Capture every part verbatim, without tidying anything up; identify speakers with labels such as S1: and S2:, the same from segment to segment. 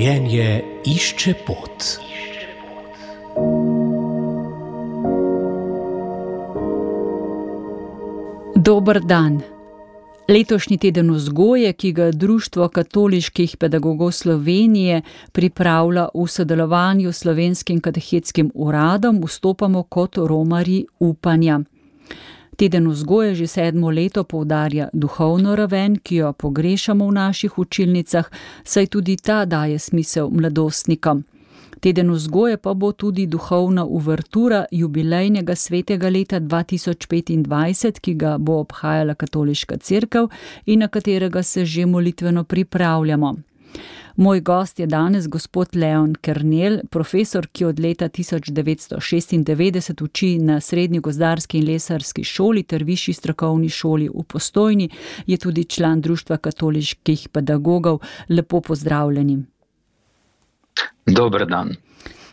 S1: Življenje išče pot.
S2: Dober dan. Letošnji teden vzgoje, ki ga Društvo katoliških pedagogov Slovenije pripravlja v sodelovanju s Slovenskim katehetskim uradom, vstopamo kot romarji upanja. Teden vzgoje že sedmo leto poudarja duhovno raven, ki jo pogrešamo v naših učilnicah, saj tudi ta daje smisel mladostnikom. Teden vzgoje pa bo tudi duhovna uvertura jubilejnega svetega leta dva tisoč petindvajset, ki ga bo obhajala katoliška cerkev in na katerega se že molitveno pripravljamo. Moj gost je danes gospod Leon Kernel, profesor, ki od leta tisoč devetsto šestindevetdeset uči na Srednji gozdarski in lesarski šoli ter Višji strokovni šoli v Postojni, je tudi član Društva katoliških pedagogov. Lepo pozdravljeni.
S3: Dober dan.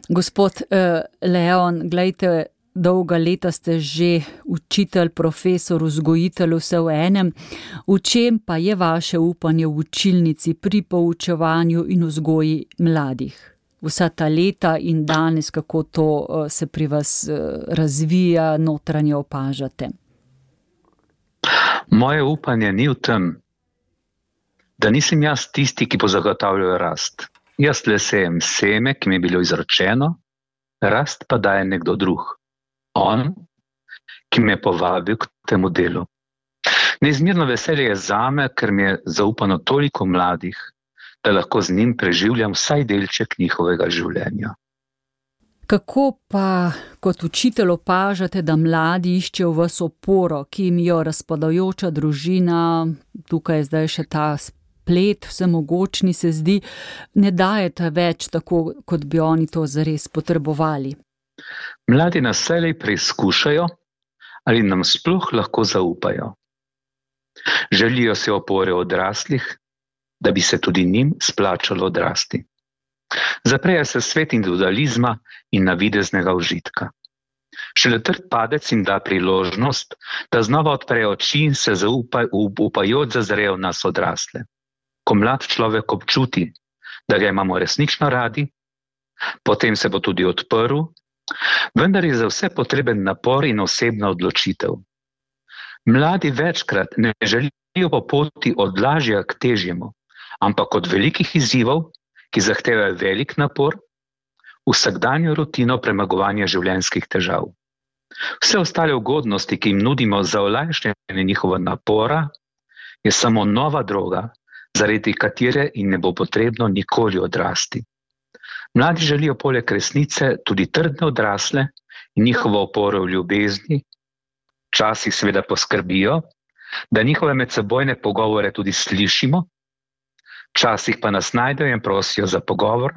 S2: Gospod eh, Leon, glejte, dolga leta ste že učitelj, profesor, vzgojitelj, vse v enem. V čem pa je vaše upanje v učilnici pri poučevanju in vzgoji mladih? Vsa ta leta in danes, kako to eh, se pri vas eh, razvija, notranje opažate?
S3: Moje upanje ni v tem, da nisem jaz tisti, ki bo zagotavljal rast. Jaz le sejem seme, ki mi je bilo izročeno, rast pa daje nekdo drug. On, ki me je povabil k temu delu. Neizmerno veselje je zame, ker mi je zaupano toliko mladih, da lahko z njim preživljam vsaj delček njihovega življenja.
S2: Kako pa kot učitelj opažate, da mladi iščejo v vas oporo, ki jim jo razpadajoča družina, tukaj je zdaj še ta plet, vsemogočni se zdi, ne dajete več tako, kot bi oni to zares potrebovali?
S3: Mladi nas vselej preizkušajo, ali nam sploh lahko zaupajo. Želijo se opore odraslih, da bi se tudi njim splačalo odrasti. Zaprejo se svet individualizma in navideznega užitka. Šele trd padec jim da priložnost, da znova odprejo oči in se zaupaj, upajoč zazrejo v nas odrasle. Ko mlad človek občuti, da ga imamo resnično radi, potem se bo tudi odprl, vendar je za vse potreben napor in osebna odločitev. Mladi večkrat ne želijo po poti od lažjega k težjemu, ampak od velikih izzivov, ki zahtevajo velik napor, vsakdanjo rutino premagovanja življenjskih težav. Vse ostale ugodnosti, ki jim nudimo za olajšanje njihova napora, je samo nova droga, zaradi katere jim ne bo potrebno nikoli odrasti. Mladi želijo poleg resnice tudi trdne odrasle in njihovo oporo v ljubezni, včasih seveda poskrbijo, da njihove medsebojne pogovore tudi slišimo, včasih pa nas najdejo in prosijo za pogovor,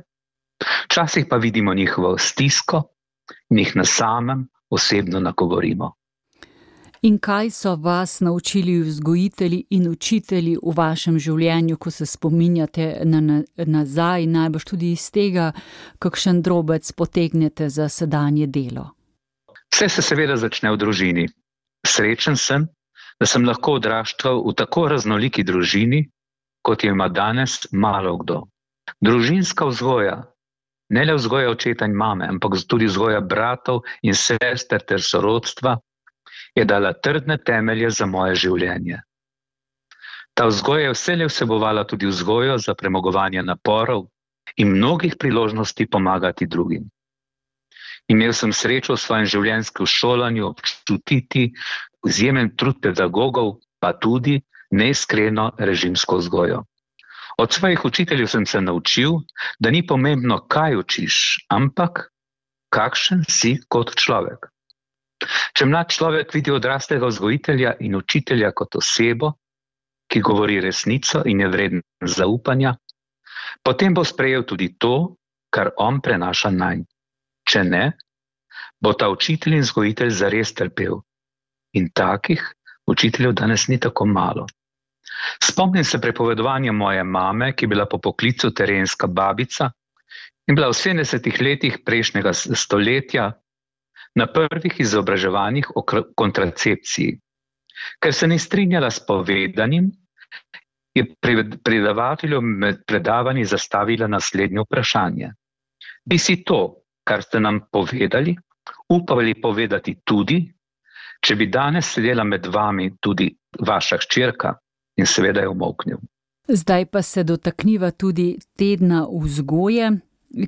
S3: včasih pa vidimo njihovo stisko in jih na samem osebno nagovorimo.
S2: In kaj so vas naučili vzgojitelji in učitelji v vašem življenju, ko se spominjate na, na, nazaj, najbrž tudi iz tega, kakšen drobec potegnete za sedanje delo?
S3: Vse se seveda začne v družini. Srečen sem, da sem lahko odraščal v tako raznoliki družini, kot jo ima danes malo kdo. Družinska vzgoja, ne le vzgoja očeta in mame, ampak tudi vzgoja bratov in sester ter sorodstva, je dala trdne temelje za moje življenje. Ta vzgoja je vselej vsebovala tudi vzgojo za premagovanje naporov in mnogih priložnosti pomagati drugim. Imel sem srečo v svojem življenjskem šolanju občutiti izjemen trud pedagogov, pa tudi neiskreno režimsko vzgojo. Od svojih učiteljev sem se naučil, da ni pomembno, kaj učiš, ampak kakšen si kot človek. Če mlad človek vidi odraslega vzgojitelja in učitelja kot osebo, ki govori resnico in je vreden zaupanja, potem bo sprejel tudi to, kar on prenaša nanj. Če ne, bo ta učitelj in vzgojitelj zares trpel. In takih učiteljev danes ni tako malo. Spomnim se prepovedovanja moje mame, ki je bila po poklicu terenska babica in bila v sedemdesetih letih prejšnjega stoletja na prvih izobraževanjih o kontracepciji. Ker se ni strinjala s povedanim, je predavatelju med predavanji zastavila naslednje vprašanje. Bi si to, kar ste nam povedali, upali povedati tudi, če bi danes sedela med vami tudi vaša hčerka? In seveda je umolknil.
S2: Zdaj pa se dotakniva tudi tedna vzgoje,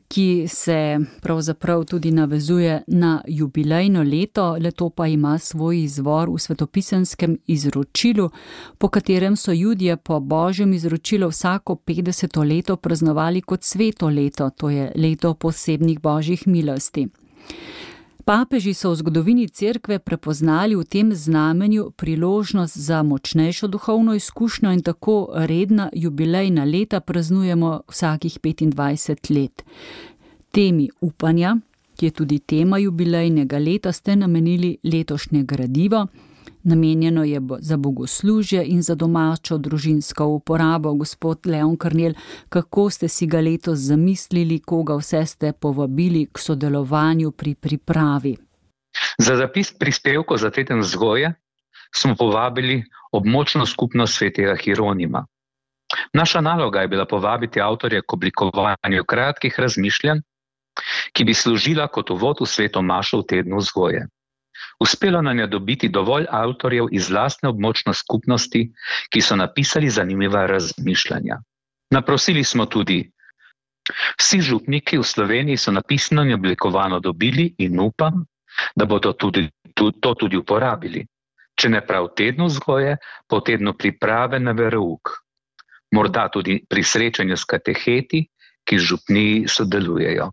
S2: ki se pravzaprav tudi navezuje na jubilejno leto. Leto pa ima svoj izvor v svetopisenskem izročilu, po katerem so Judje po božjem izročilu vsako petdeseto leto praznovali kot sveto leto, to je leto posebnih božjih milosti. Papeži so v zgodovini cerkve prepoznali v tem znamenju priložnost za močnejšo duhovno izkušnjo in tako redna jubilejna leta praznujemo vsakih petindvajset let. Temi upanja, ki je tudi tema jubilejnega leta, ste namenili letošnje gradivo. Namenjeno je za bogoslužje in za domačo družinsko uporabo. Gospod Leon Karnel, kako ste si ga letos zamislili, koga vse ste povabili k sodelovanju pri pripravi?
S3: Za zapis prispevkov za teden vzgoje smo povabili območno skupnost svetega Hieronima. Naša naloga je bila povabiti avtorje k oblikovanju kratkih razmišljanj, ki bi služila kot uvod v sveto mašo v tednu vzgoje. Uspelo nam je dobiti dovolj avtorjev iz lastne območne skupnosti, ki so napisali zanimiva razmišljanja. Naprosili smo tudi. Vsi župniki v Sloveniji so napisano in oblikovano dobili in upam, da bodo tudi, to tudi uporabili. Če ne prav tednu vzgoje, po tednu priprave na verouk. Morda tudi pri srečanju s kateheti, ki župniji sodelujejo.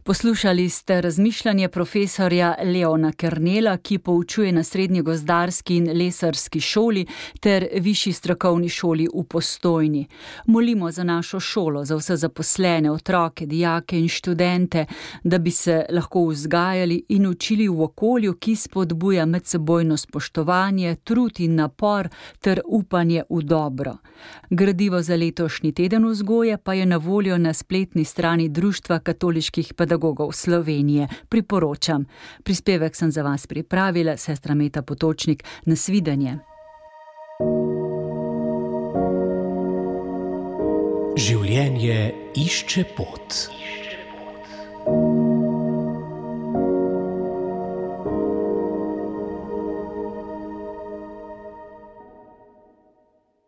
S2: Poslušali ste razmišljanje profesorja Leona Karnela, ki poučuje na Srednji gozdarski in lesarski šoli ter Višji strokovni šoli v Postojni. Molimo za našo šolo, za vse zaposlene, otroke, dijake in študente, da bi se lahko vzgajali in učili v okolju, ki spodbuja medsebojno spoštovanje, trud in napor ter upanje v dobro. Gradivo za letošnji teden vzgoje pa je na voljo na spletni strani Društva katoliških pedagogov Slovenije. Priporočam. Prispevek sem za vas pripravila, sestra Meta Potočnik. Nasvidenje.
S1: Življenje išče pot.